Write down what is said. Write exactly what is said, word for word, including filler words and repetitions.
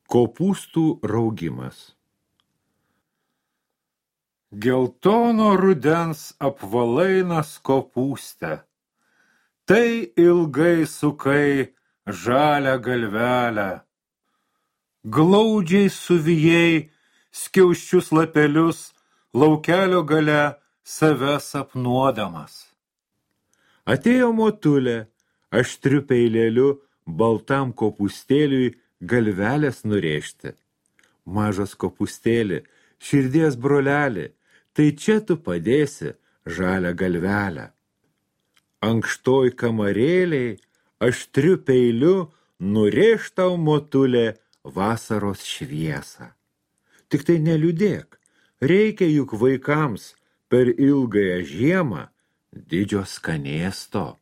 Kopūstų raugimas. Geltono rudens apvalainas kopūste, tai ilgai sukai žalią galvelę. Glaudžiai suvijai skiauščius lapelius laukelio gale save sapnuodamas. Atėjo motulė, aštriu peilėliu baltam kopūstėliui galvelės nurėžti. Mažas kopūstėli, širdies broleli, tai čia tu padėsi žalią galvelę. Ankštoj kamarėliai, aštriu peiliu nurėž tau motulė vasaros šviesą. Tik tai neliūdėk, reikia juk vaikams per ilgąją žiemą didžio skanėsto.